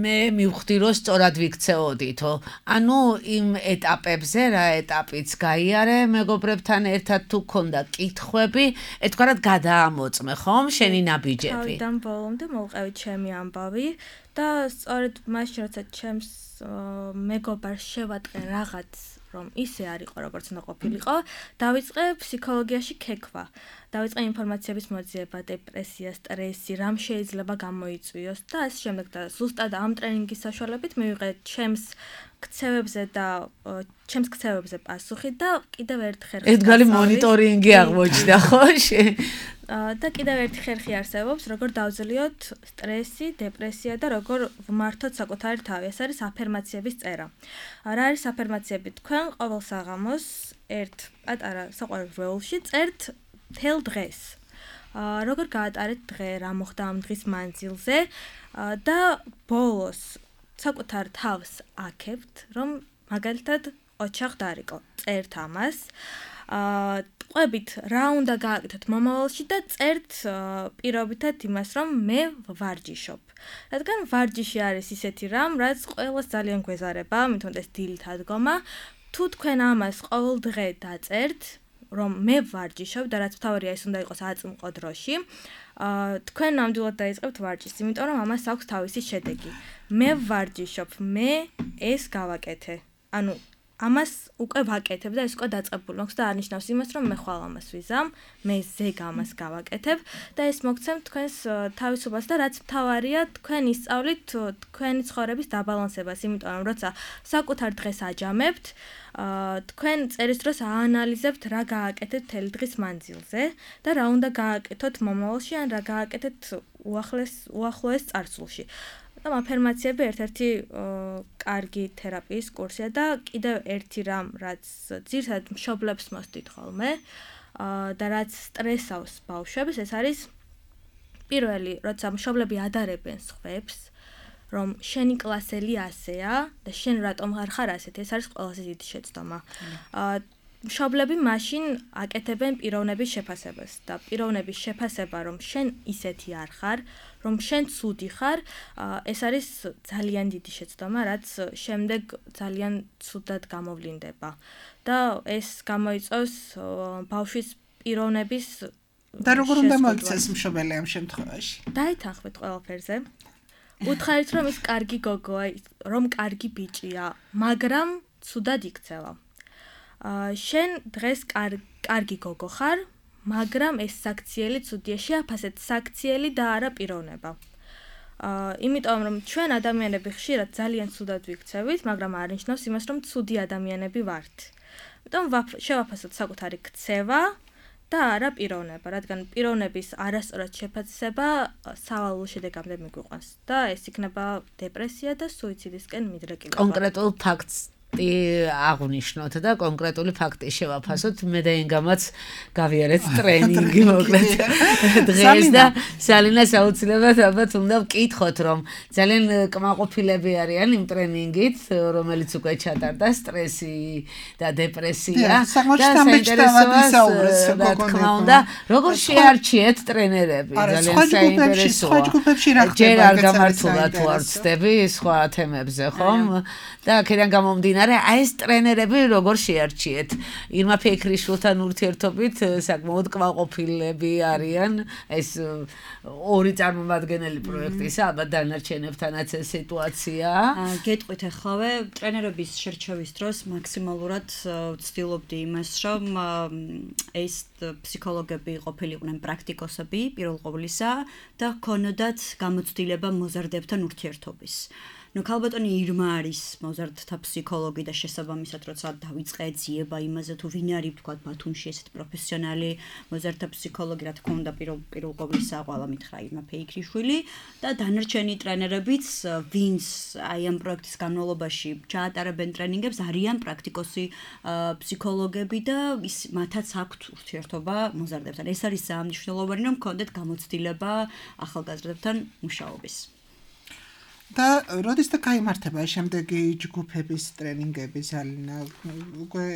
მე მივხვდი რომ სწორად ვიქცეოდითო. ანუ იმ ეტაპებზე რა ეტაპიც გაიარე მეგობრებთან ერთად თუ ქონდა კითხვები, ეთქვათ გადაამოწმე ხომ შენი ნაბიჯები. თავიდან ბოლომდე მოვყევით ჩემი ამბავი და სწორედ მაშინ როცა ჩემს მეგობარს შევატყე რაღაც რომ ისე არ იყო როგორც უნდა ყოფილიყო, დავიწყე ფსიქოლოგიაში ქექვა. დავიწყე ინფორმაციების მოძიება, დეპრესია, სტრესი, რამ შეიძლება გამოიწვიოს და ასე შემდეგ და ზუსტად ამ ტრენინგის საშუალებით მივიღე ჩემს ქცევებზე პასუხი და კიდევ ერთ ხერხი. ერთგალი მონიტორინგი აღმოჩნდა, ხო? და კიდევ ერთი ხერხი არსებობს, როგორ დავძლიოთ სტრესი, დეპრესია და როგორ ვმართოთ საკუთარი თავი. ეს არის აფერმაციების წერა. რა არის აფერმაციები? თქვენ ყოველ საღამოს ერთ პატარა საყვარელ ველში წერთ მთელ დღეს. როგორ გაატარეთ დღე, რა მოხდა ამ დღის მანძილზე და ბოლოს საკუთარ თავს აქებთ, რომ მაგალითად ოჩახ დარიკო. წერთ ამას. ყვებით რა უნდა გააკეთოთ მომავალში და წერთ პირობითად იმას, რომ მე ვარჯიშობ. რადგან ვარჯიში არის ისეთი რამ, რაც ყველას ძალიან გვეზარება, მithonდეს დილით ადგომა. თუ თქვენ ამას ყოველ დღე დაწერთ, რომ მე ვარჯიშობ და რაც მთავარია ის უნდა იყოს აწმყო დროში, თქვენ ნამდვილად დაიწყებთ ვარჯიშს, იმიტომ რომ ამას აქვს თავისი შედეგი. მე ვარჯიშობ, მე ეს გავაკეთე. ანუ ამას უკვე ვაკეთებ და ეს უკვე დაწყებული მაქვს და არნიშნავს იმას, რომ მე ხვალ ამას ვიზამ, მე ზეგ ამას გავაკეთებ და ეს მოგცემთ თქვენს თავისუფლებას და რაც მთავარია, თქვენ ისწავლით თქვენი ცხოვრების დაბალანსებას, იმიტომ რომ როცა საკუთარ დღეს აჯამებთ, თქვენ წერის დროს აანალიზებთ რა გააკეთეთ მთელი დღის მანძილზე და რა უნდა გააკეთოთ მომავალში ან რა გააკეთეთ უახლოეს წარსულში. და აფერმაციები ერთ-ერთი კარგი თერაპიის კურსია და კიდევ ერთი რამ, რაც ძირითადად მშობლებს მოსდით ხოლმე და რაც სტრესავს ბავშვებს, ეს არის პირველი, როცა მშობლები ადარებენ სხვებს, რომ შენი კლასელი ასეა და შენ რატომ არ ხარ ასეთი, ეს არის ყველაზე დიდი შეცდომა. მშობლები მაშინ აკეთებენ პიროვნების შეფასებას და პიროვნების შეფასება, რომ შენ ისეთი არ ხარ, რომ შენ ცუდი ხარ, ეს არის ძალიან დიდი შეცდომა, რაც შემდეგ ძალიან ცუდად გამოვლინდება. და ეს გამოიწვევს ბავშვის პიროვნების და როგორ უნდა მოიქცეს მშობელი ამ შემთხვევაში? დაითანხმეთ ყველაფერზე. უთხარით, რომ ის კარგი გოგოა, რომ კარგი ბიჭია, მაგრამ ცუდად იქცევა. შენ დღეს კარგი გოგო ხარ, მაგრამ ეს საქციელი ცუდია, შეაფასეთ საქციელი და არა პიროვნება. იმიტომ რომ ჩვენ ადამიანები ხშირად ძალიან ცუდად ვიქცევით, მაგრამ არ ნიშნავს იმას, რომ ცუდი ადამიანები ვართ. იმიტომ შევაფასოთ საკუთარი ქცევა და არა პიროვნება, რადგან პიროვნების არასწორად შეფასება სავალალო შედეგამდე მიგვიყვანს და ეს იქნება დეპრესია და სუიციდისკენ მიდრეკილება. კონკრეტულ ფაქტს აღნიშნოთ და კონკრეტული ფაქტი შევაფასოთ. მე და ინგამაც გავიარეთ ტრენინგი მოკლედ დღეს და სალინას აუცილებლად ალბათ უნდა ვკითხოთ, რომ ძალიან კმაყოფილები არიან იმ ტრენინგით, რომელიც უკვე ჩატარდა, სტრესი და დეპრესია. და საინტერესოა, რა თქმა უნდა, როგორ შეარჩიეთ ტრენერები, ძალიან საინტერესოა. ჯერ არ გამართულა თუ არ ვცდები სხვა თემებზე, ხომ? და აქედან გამომდინარე, აი ეს ტრენერები როგორ შეარჩიეთ? ირმა ფიქრიშვილთან ურთიერთობით საკმაოდ კმაყოფილები არიან, ეს ორი წარმომადგენელი პროექტისა, ალბათ დანარჩენებთანაც ეს სიტუაცია. გეტყვით ახლა, ტრენერების შერჩევის დროს მაქსიმალურად ვცდილობდი იმას, რომ ეს ფსიქოლოგები ყოფილიყვნენ პრაქტიკოსები პირველ ყოვლისა და ჰქონოდათ გამოცდილება მოზარდებთან ურთიერთობის. ნუ ქალბატონი ირმა არის მოზარდთა ფსიქოლოგი და შესაბამისად როცა დავიწყე ძიება იმაზე თუ ვინ არის თქვა ბათუმში ესეთ პროფესიონალი მოზარდთა ფსიქოლოგი, რა თქმა უნდა პირველ ყოვლისა ყველა მითხრა ირმა ფიქრიშვილი და დანარჩენი ტრენერებიც ვინც აი ამ პროექტის განმავლობაში ჩაატარებენ ტრენინგებს არიან პრაქტიკოსი ფსიქოლოგები და მათაც აქვთ ურთიერთობა მოზარდებთან. ეს არის მნიშვნელოვანი რომ გქონდეთ გამოცდილება ახალგაზრდებთან მუშაობის. და როდის და გაიმართება შემდეგი ჯგუფების ტრენინგები სალინა უკვე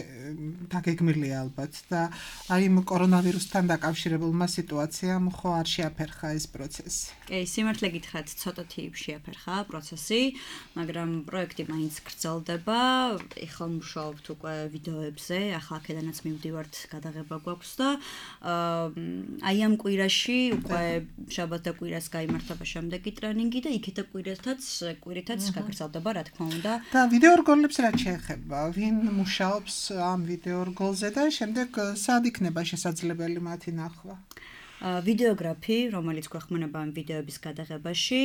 დაგეგმილია ალბათ და აი იმ კორონავირუსთან დაკავშირებულმა სიტუაციამ ხო არ შეაფერხა ეს პროცესი? კი, სიმართლე გითხრათ, ცოტათი შეაფერხა პროცესი, მაგრამ პროექტი მაინც გრძელდება. ეხლა მუშაობთ უკვე ვიდეოებზე, ახლა აქედანაც მივდივართ, გადაღება გვაქვს და აი ამ კვირაში უკვე შაბათ და კვირას გაიმართება შემდეგი ტრენინგი და იქეთა კვირითაც გაგრძელდება, რა თქმა უნდა. და ვიდეორგოლებს რა შეეხება? ვინ მუშაობს ამ ვიდეორგოლზე და შემდეგ სად იქნება შესაძლებელი მათი ნახვა? ვიდეოგრაფი, რომელიც გვეხმარება ამ ვიდეოების გადაღებაში,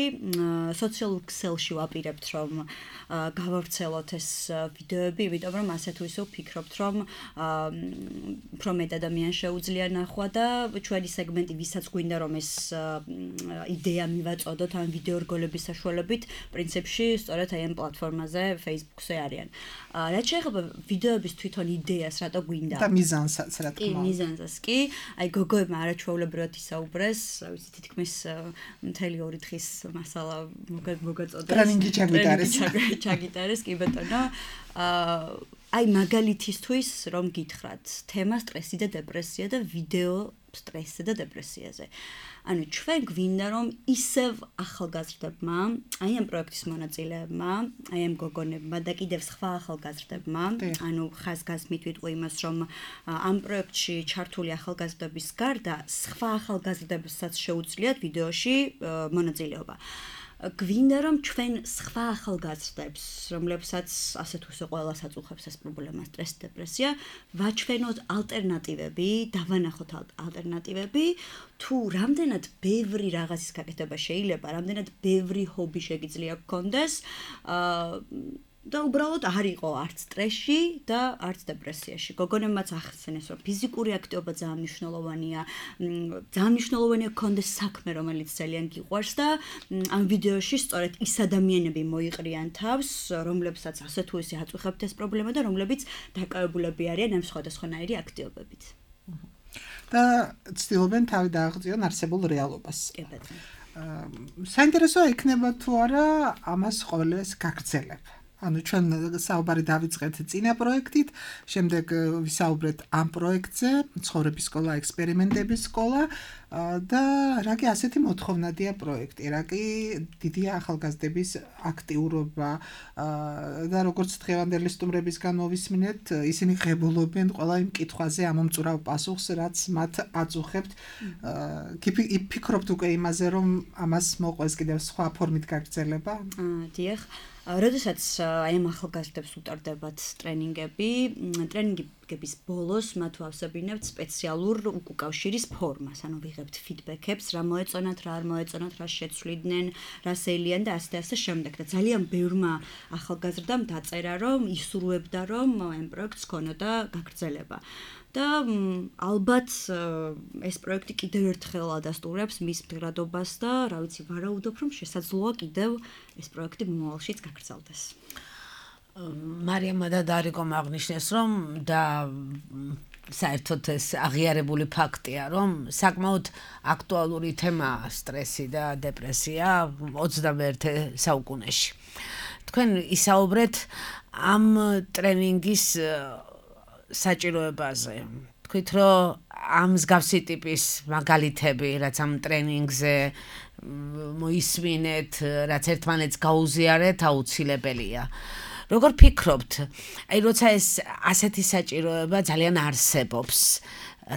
სოციალურ ქსელში ვაპირებთ, რომ გავავრცელოთ ეს ვიდეოები, იმიტომ რომ ასე თუ ისე ვფიქრობთ, რომ უფრო მეტ ადამიანს შეუძლია ნახვა და ჩვენი სეგმენტი, ვისაც გვინდა რომ ეს იდეა მივაწოდოთ ამ ვიდეორგოლების საშუალებით, პრინციპში სწორედ აი ამ პლატფორმაზე, Facebook-ზე არიან. რაც შეეხება ვიდეოების თვითონ იდეას, რატო გვინდა? და მიზანსაც, რა თქმა უნდა. კი, მიზანსაც კი. აი გოგოებმა არაჩვეულებრივად ისაუბრეს, ვიცი თითქმის მთელი 2 დღის მასალა მოგაწოდეს. ტრენინგი ჩაგიტარეს, კი ბატონო. აი მაგალითისთვის რომ გითხრათ, თემა სტრესი და დეპრესია და ვიდეო სტრესზე და დეპრესიაზე. ანუ ჩვენ გვინდა რომ ისევ ახალგაზრდებმა, აი ამ პროექტის მონაწილეებმა, აი ამ გოგონებმა და კიდევ სხვა ახალგაზრდებმა, ანუ ხაზგასმით ვიტყვი იმას, რომ ამ პროექტში ჩართული ახალგაზრდების გარდა სხვა ახალგაზრდებსაც შეუძლიათ ვიდეოში მონაწილეობა. გვინდა რომ ჩვენ სხვა ახალგაზრდებს, რომლებსაც ასე თუ ისე ყველას აწუხებს ეს პრობლემა, სტრესი, დეპრესია, ვაჩვენოთ ალტერნატივები, დავანახოთ ალტერნატივები, თუ რამდენად ბევრი რაღაცის გაკეთება შეიძლება, რამდენად ბევრი ჰობი შეგიძლია გქონდეს, და უბრალოდ არ იყო არც სტრესში და არც დეპრესიაში. გოგონებმაც ახსენეს, რომ ფიზიკური აქტივობა ძალიან მნიშვნელოვანია, ძალიან მნიშვნელოვანია გქონდეს საქმე, რომელიც ძალიან გიყვარს და ამ ვიდეოში სწორედ ის ადამიანები მოიყრიან თავს, რომლებსაც ასე თუ ისე აწუხებთ ეს პრობლემა და რომლებიც დაკავებულები არიან ამ სხვადასხვანაირი აქტივობებით. და ცდილობენ თავი დააღწიონ არსებულ რეალობას. კი ბატონო. საინტერესოა იქნება თუ არა ამას ყოველს გაგრძელებ. ანუ ჩვენ საუბარი დავიწყეთ წინა პროექტით, შემდეგ ვისაუბრეთ ამ პროექტზე, ცხოვრების სკოლა, ექსპერიმენტების სკოლა და რაკი ასეთი მოთხოვნადია პროექტი, რაკი დიდია ახალგაზრდების აქტიურობა და როგორც დღევანდელი სტუმრებისგან მოვისმინეთ, ისინი ღებულობენ ყველა იმ კითხვაზე ამომწურავ პასუხს, რაც მათ აწუხებთ. ფიქრობთ უკვე იმაზე, რომ ამას მოყვეს კიდევ სხვა ფორმით გაგრძელება? დიახ. როდესაც აი ამ ახალგაზრდებს უტარდებათ ტრენინგების ბოლოს მათ ვავსებინებთ სპეციალურ უკავშირის ფორმას, ანუ ვიღებთ ფიდბექებს, რა მოეწონათ, რა არ მოეწონათ, რა შეცვლიდნენ, რა შეელიან და ასე შემდეგ. და ძალიან ბევრმა ახალგაზრდამ დაწერა, რომ ისურვებდა, რომ ამ პროექტს ქონოდა გაგრძელება. და ალბათ ეს პროექტი კიდევ ერთხელ ადასტურებს მის მდგრადობას და რა ვიცი ვარაუდობ რომ შესაძლოა კიდევ ეს პროექტი მომავალშიც გაგრძელდეს. მარიამა და დარიკომ აღნიშნეს, რომ და საერთოდ ეს აღიარებული ფაქტია, რომ საკმაოდ აქტუალური თემაა სტრესი და დეპრესია 21 საუკუნეში. თქვენ ისაუბრეთ ამ ტრენინგის საჭიროებაზე. თქვით, რომ ამ მსგავსი ტიპის მაგალითები, რაც ამ ტრენინგზე მოისმინეთ, რაც ერთმანეთს გაუზიარეთ, აუცილებელია. როგორ ფიქრობთ, აი როცა ეს ასეთი საჭიროება ძალიან არსებობს,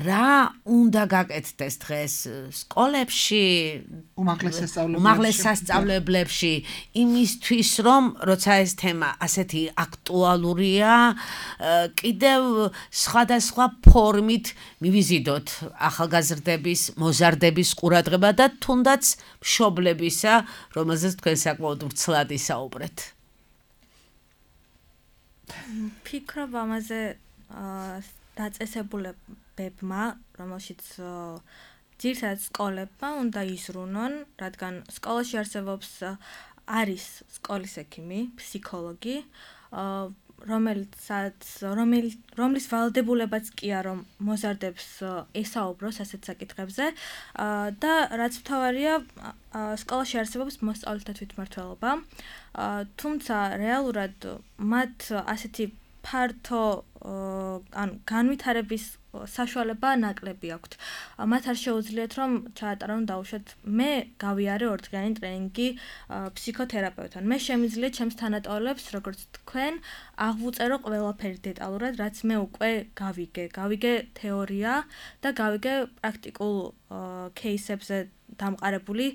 რა უნდა გაკეთდეს დღეს სკოლებში, უმაღლეს სასწავლებლებში, იმისთვის, რომ როცა ეს თემა ასეთი აქტუალურია, კიდევ სხვადასხვა ფორმით მივიზიდოთ ახალგაზრდების, მოზარდების ყურადღება და თუნდაც მშობლებისა, რომელზეც თქვენ საკმაოდ ვრცლად ისაუბრეთ. ფიქრობ ამაზე დაწესებულებებმა, რომელშიც ძირითადად სკოლებმა უნდა იზრუნონ, რადგან სკოლაში არსებობს არის სკოლის ექიმი, ფსიქოლოგი, რომლის ვალდებულებაც კი არა, რომ მოზარდებს ესაუბროს ასეთ საკითხებზე და რაც მთავარია, სკოლაში არსებობს მოსწავლეთა თვითმმართველობა, თუმცა რეალურად მათ ასეთი ფართო განვითარების საშუალება ნაკლები აქვთ. მათ არ შეუძლიათ რომ ჩაატარონ დაუშვათ მე გავიარე 2 დღიანი ტრენინგი ფსიქოთერაპევტთან. მე შემიძლია ჩემს თანატოლებს, როგორც თქვენ, აღვწერო ყველაფერი დეტალურად, რაც მე უკვე გავიგე თეორია და გავიგე პრაქტიკულ кейსებზე დამყარებული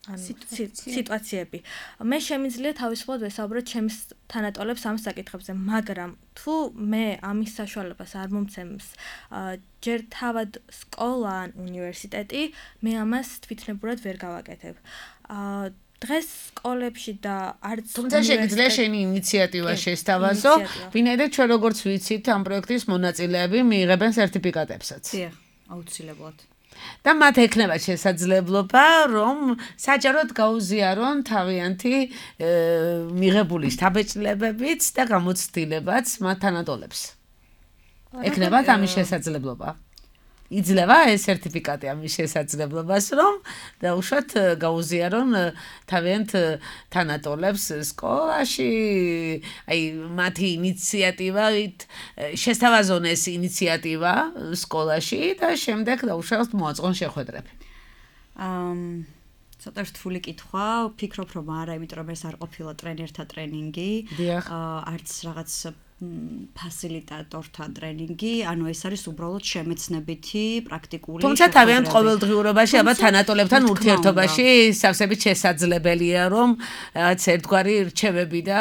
სიტუაციები. მე შემიძლია თავისუფლად ვესაუბრო ჩემს თანატოლებს ამ საკითხებზე, მაგრამ თუ მე ამის საშუალებას არ მომცემს ჯერ თავად სკოლა ან უნივერსიტეტი, მე ამას თვითნებურად ვერ გავაკეთებ. დღეს სკოლებში და არც თუმცა შეგიძლია შენი ინიციატივა შესთავაზო, ვინაიდან ჩვენ როგორც ვიცით ამ პროექტის მონაწილეები მიიღებენ სერტიფიკატებსაც. დიახ, აუცილებლად. და მათ ექნება შესაძლებლობა, რომ საჯაროდ გაუზიარონ თავიანთი მიღებული შთაბეჭდილებებიც და გამოცდილებაც მათ თანატოლებს. ექნებათ ამის შესაძლებლობა. იძლევა ეს სერტიფიკატი ამის შესაძლებლობას, რომ დაუშვათ გაუზიარონ თავიანთ თანატოლებს სკოლაში, აი მათი ინიციატივით შესთავაზონ ეს ინიციატივა სკოლაში და შემდეგ დაუშვათ მოაწყონ შეხვედრები. ცოტა რთული კითხვა, ვფიქრობ რომ არა, იმიტომ რომ ეს არ ყოფილა ტრენერთა ტრენინგი, არც რაღაც ფასილიტატორთა ტრენინგი, ანუ ეს არის უბრალოდ შემეცნებითი პრაქტიკული. თუმცა თავიანთ ყოველდღიურობაში, აბა თანატოლებთან ურთიერთობაში სავსებით შესაძლებელია, რომ რაღაც ერთგვარი რჩევები და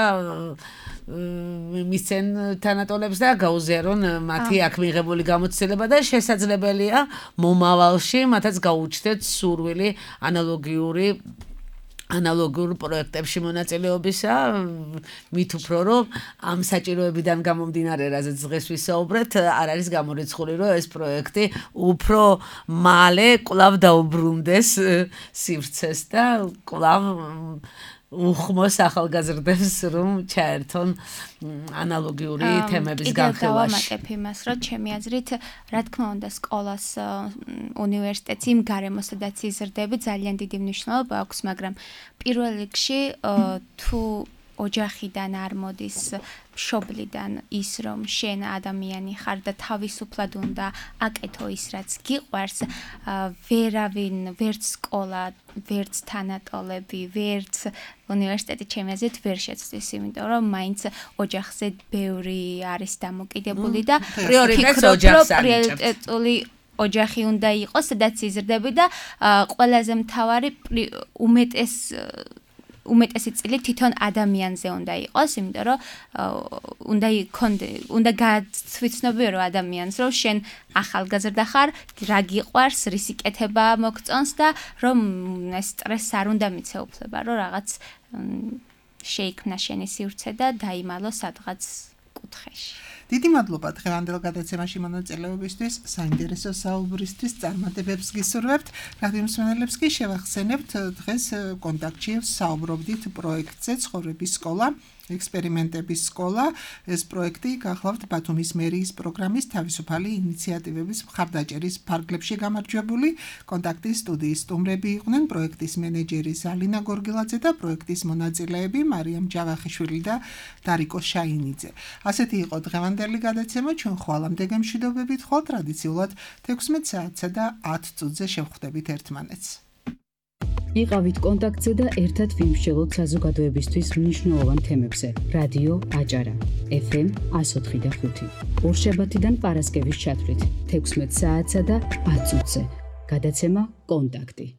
მისცენ თანატოლებს და გაუზიარონ მათი აქ მიღებული გამოცდილება და შესაძლებელია მომავალში მათაც გაუჩნდეთ სურვილი ანალოგიურ პროექტებში მონაწილეობისა, მით უფრო რომ ამ საჭიროებიდან გამომდინარე, რაზეც დღეს ვისაუბრეთ, არ არის გამორიცხული, რომ ეს პროექტი უფრო მალე კვლავ დაუბრუნდეს სივრცეს და კვლავ უხმოს ახალგაზრდებს, რომ ჩაერთონ ანალოგიური თემების განხილვაში. კიდევ დავამატებ იმას, რომ ჩემი აზრით, რა თქმა უნდა, სკოლას, უნივერსიტეტს იმ გარემოს, სადაც იზრდები, ძალიან დიდი მნიშვნელობა აქვს, მაგრამ პირველ რიგში თუ ოჯახიდან არ მოდის მშობლიდან ის რომ შენ ადამიანი ხარ და თავისუფლად უნდა აკეთო ის რაც გიყვარს, ვერავინ, ვერც სკოლა, ვერც თანატოლები, ვერც უნივერსიტეტი ჩემი აზრით ვერ შეცვლის, იმიტომ რომ მაინც ოჯახზე ბევრი არის დამოკიდებული და პრიორიტეტული ოჯახი უნდა იყოს, სადაც იზრდები და ყველაზე მთავარი უმეტესი წილი თვითონ ადამიანზე უნდა იყოს, იმიტომ რომ უნდა გაცვიცნობიერო ადამიანს, რომ შენ ახალგაზრდა ხარ, რა გიყვარს, რის იკეთება მოგწონს და რომ ეს სტრესს არ უნდა მიცეუფლება, რომ რაღაც შეიქმნა შენი სივრცე და დაიმალო სადღაც კუთხეში. დიდი მადლობა დღევანდელ გადაცემაში მონაწილეობისთვის, საინტერესო საუბრისთვის, წარმატებებს გისურვებთ. რადიო მსმენელებს კი შევახსენებთ დღეს კონტაქტში საუბრობდით პროექტზე ცხოვრების სკოლა, ექსპერიმენტების სკოლა. ეს პროექტი გახლავთ ბათუმის მერიის პროგრამის თავისუფალი ინიციატივების მხარდაჭერის ფარგლებში გამარჯვებული. კონტაქტის სტუდიის სტუმრები იყვნენ პროექტის მენეჯერი ზალინა გორგილაძე და პროექტის მონაწილეები მარიამ ჯავახიშვილი და დარიკო შაინიძე. ასეთი იყო დღევანდელი გადაცემა. ჩვენ ხვალამდე გემშვიდობებით, ხოლ ტრადიციულად 16 საათსა და 10 წუთზე შევხვდებით ერთმანეთს. იყავით კონტაქტზე და ერთად ვიმსჯელოთ საზოგადოებისთვის მნიშვნელოვან თემებზე. რადიო აჭარა FM 104.5. ორშაბათიდან პარასკევის ჩათვლით 16 საათსა და 10 წუთზე. გადაცემა კონტაქტი.